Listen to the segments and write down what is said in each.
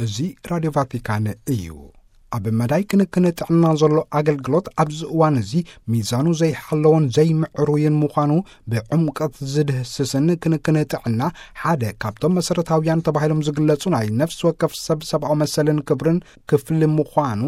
እዚ ራድዮ ቫቲካን እዩ። ኣብ መዳይ ክንክን ጥዕና ዘሎ ኣገልግሎት ኣብዚ እዋን እዚ ሚዛኑ ዘይሓለወን ዘይምዕሩይን ምዃኑ ብዕምቀት ዝድህስስን፣ ክንክን ጥዕና ሓደ ካብቶም መሰረታውያን ተባሂሎም ዝግለጹ ናይ ነፍሲ ወከፍ ሰብ ሰብኣዊ መሰልን ክብርን ክፍሊ ምዃኑ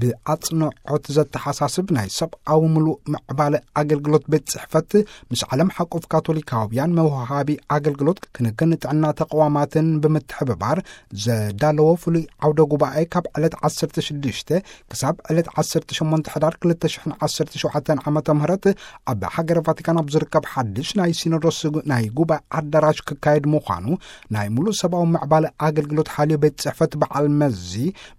ብኣጽንዖት ዘተሓሳስብ ናይ ሰብኣዊ ምሉእ ምዕባለ ኣገልግሎት ቤት ጽሕፈት ምስ ዓለም ሓቆፍ ካቶሊካውያን መውሃቢ ኣገልግሎት ክንክን ጥዕና ተቕዋማትን ብምትሕብባር ዘዳለዎ ፍሉይ ዓውደ ጉባኤ ካብ ዕለት ዓሰርተ ሽዱሽተ ክሳብ ዕለት ዓሰርተ ሸሞንተ ሕዳር ክልተ ሽሕን ዓሰርተ ሸውዓተን ዓመተ ምህረት ኣብ ሃገረ ቫቲካን ኣብ ዝርከብ ሓድሽ ናይ ሲኖዶስ ናይ ጉባኤ ኣዳራሽ ክካየድ ምዃኑ ናይ ምሉእ ሰብኣዊ ምዕባለ ኣገልግሎት ሓልዮ ቤት ጽሕፈት በዓል መዚ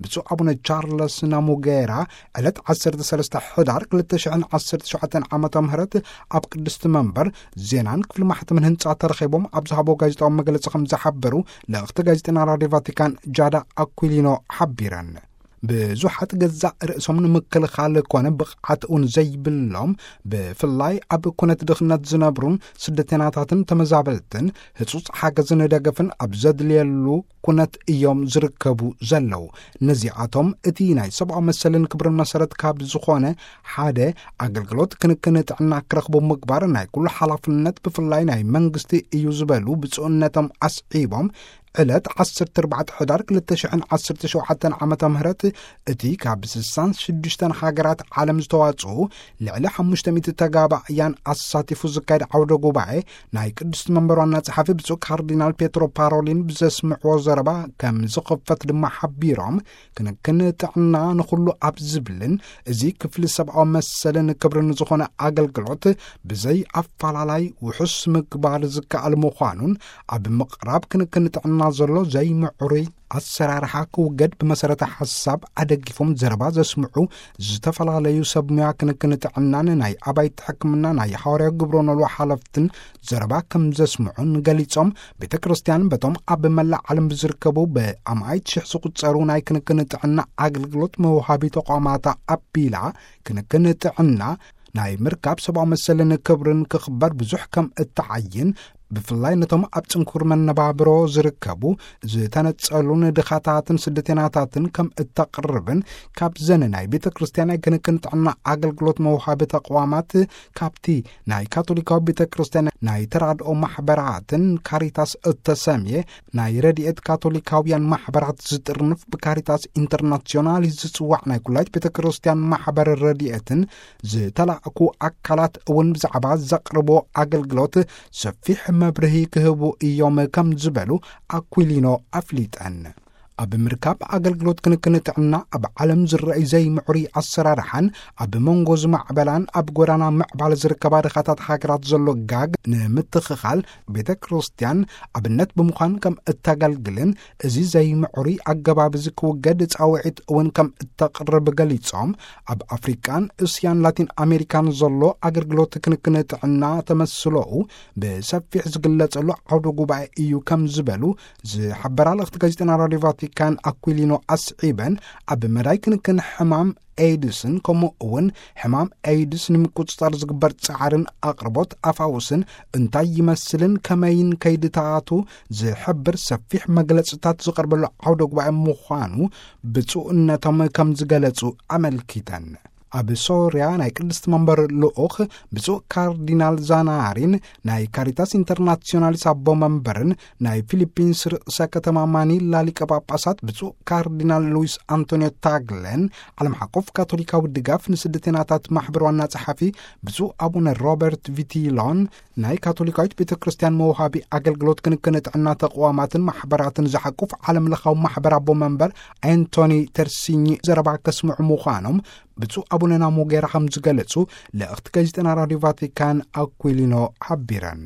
ብፁዕ ኣቡነ ቻርለስ ናሙጌራ ዕለት ዓሰርተ ሰለስተ ሕዳር ክልተ ሽሕን ዓሰርተ ሸውዓተን ዓመተ ምህረት ኣብ ቅድስቲ መንበር ዜናን ክፍሊ ማሕተምን ህንጻ ተረኺቦም ኣብ ዝሃቦ ጋዜጣዊ መግለጺ ከም ዝሓበሩ ልእኽቲ ጋዜጠና ራድዮ ቫቲካን ጃዳ ኣኩሊኖ ሓቢረን። ብዙሓት ገዛእ ርእሶም ንምክልኻል ኮነ ብቕዓት እውን ዘይብሎም፣ ብፍላይ ኣብ ኩነት ድኽነት ዝነብሩን ስደተኛታትን ተመዛበልትን ህጹጽ ሓገዝን ደገፍን ኣብ ዘድልየሉ ኩነት እዮም ዝርከቡ ዘለዉ። ነዚኣቶም እቲ ናይ ሰብኣዊ መሰልን ክብርን መሰረት ካብ ዝኾነ ሓደ ኣገልግሎት ክንክን ጥዕና ክረኽቡ ምግባር ናይ ኩሉ ሓላፍነት ብፍላይ ናይ መንግስቲ እዩ ዝበሉ ብፁዕነቶም ኣስዒቦም፣ ዕለት ዓሰርተ ኣርባዕተ ሕዳር ክልተ ሽሕን ዓሰርተ ሸውዓተን ዓመተ ምህረት እቲ ካብ ስሳን ሽዱሽተን ሃገራት ዓለም ዝተዋጽኡ ልዕሊ ሓሙሽተ ሚእቲ ተጋባእያን ኣሳቲፉ ዝካየድ ዓውደ ጉባኤ ናይ ቅድስቲ መንበር ዋና ጸሓፊ ብፁዕ ካርዲናል ፔትሮ ፓሮሊን ብዘስምዕዎ ዘረባ ከም ዝኽፈት ድማ ሓቢሮም፣ ክንክን ጥዕና ንኹሉ ኣብ ዝብልን እዚ ክፍሊ ሰብኣዊ መሰልን ክብርን ዝኾነ ኣገልግሎት ብዘይ ኣፈላላይ ውሑስ ምግባር ዝከኣል ምዃኑን ኣብ ምቕራብ ክንክን ጥዕና ዘሎ ዘይምዕሩይ ኣሰራርሓ ክውገድ ብመሰረተ ሓሳብ ኣደጊፎም ዘረባ ዘስምዑ ዝተፈላለዩ ሰብ ሙያ ክንክን ጥዕናን ናይ ኣባይቲ ሕክምና ናይ ሃዋርያዊ ግብረ ኖልዎ ሓለፍትን ዘረባ ከም ዘስምዑን ገሊጾም፣ ቤተ ክርስቲያን በቶም ኣብ መላእ ዓለም ብዝርከቡ ብኣማኢት ሽሕ ዝቑጸሩ ናይ ክንክን ጥዕና ኣገልግሎት መውሃቢ ተቋማታ ኣቢላ ክንክን ጥዕና ናይ ምርካብ ሰብኣዊ መሰልን ክብርን ክኽበር ብዙሕ ከም እተዓይን፣ ብፍላይ ነቶም ኣብ ጽንኩር መነባብሮ ዝርከቡ ዝተነጸሉን ድኻታትን ስደተኛታትን ከም እተቕርብን፣ ካብዘን ናይ ቤተ ክርስቲያን ናይ ክንክን ጥዕና ኣገልግሎት መውሃቢ ተቋማት ካብቲ ናይ ካቶሊካዊ ቤተ ክርስቲያን ናይ ተራድኦ ማሕበራትን ካሪታስ እተሰምየ ናይ ረድኤት ካቶሊካውያን ማሕበራት ዝጥርንፍ ብካሪታስ ኢንተርናሲዮናል ዝጽዋዕ ናይ ኩላይት ቤተ ክርስቲያን ማሕበር ረድኤትን ዝተላእኩ ኣካላት እውን ብዛዕባ ዘቕርቦ ኣገልግሎት ሰፊሕ መብርሂ ክህቡ እዮም ከም ዝበሉ ኣኩሊኖ ኣፍሊጠን። ኣብ ምርካብ ኣገልግሎት ክንክን ጥዕና ኣብ ዓለም ዝረኣይ ዘይምዕሩይ ኣሰራርሓን ኣብ መንጎ ዝማዕበላን ኣብ ጎዳና ምዕባለ ዝርከባ ድኻታት ሃገራት ዘሎ ጋግ ንምትኽኻል ቤተ ክርስቲያን ኣብነት ብምዃን ከም እተገልግልን እዚ ዘይምዕሩይ ኣገባብ እዚ ክውገድ ጻውዒት እውን ከም እተቕርብ ገሊጾም፣ ኣብ ኣፍሪቃን እስያን ላቲን ኣሜሪካን ዘሎ ኣገልግሎት ክንክን ጥዕና ተመስሎኡ ብሰፊሕ ዝግለጸሉ ዓውደ ጉባኤ እዩ ከም ዝበሉ ዝሓበራ ልእኽቲ ጋዜጠና ራድዮ ቫቲካን ኣኩሊኖ ኣስዒበን፣ ኣብ መዳይ ክንክን ሕማም ኤድስን ከምኡ እውን ሕማም ኤድስ ንምቁጽጻር ዝግበር ጻዕርን ኣቕርቦት ኣፋውስን እንታይ ይመስልን ከመይን ከይድታቱ ዝሕብር ሰፊሕ መግለጽታት ዝቐርበሉ ዓውደ ጉባኤ ምዃኑ ብፁዕነቶም ከም ዝገለጹ ኣመልኪተን። ኣብ ሶርያ ናይ ቅድስቲ መንበር ልኡኽ ብፁዕ ካርዲናል ዛናሪን ናይ ካሪታስ ኢንተርናሲዮናሊስ ኣቦ መንበርን ናይ ፊሊፒንስ ርእሰ ከተማ ማኒላ ሊቀ ጳጳሳት ብፁዕ ካርዲናል ሉዊስ ኣንቶኒዮ ታግለን፣ ዓለም ሓቆፍ ካቶሊካዊ ድጋፍ ንስደተናታት ማሕበር ዋና ጸሓፊ ብፁዕ ኣቡነ ሮበርት ቪቲሎን፣ ናይ ካቶሊካዊት ቤተ ክርስቲያን መውሃቢ ኣገልግሎት ክንክን ጥዕና ተቕዋማትን ማሕበራትን ዝሓቁፍ ዓለም ለኻዊ ማሕበር ኣቦ መንበር ኣንቶኒ ተርሲኝ ዘረባ ከስምዑ ምዃኖም ብፁዕ ኣቡነ ናሞጌራ ከም ዝገለጹ ልእኽቲ ጋዜጠና ራድዮ ቫቲካን ኣኩሊኖ ሓቢረን።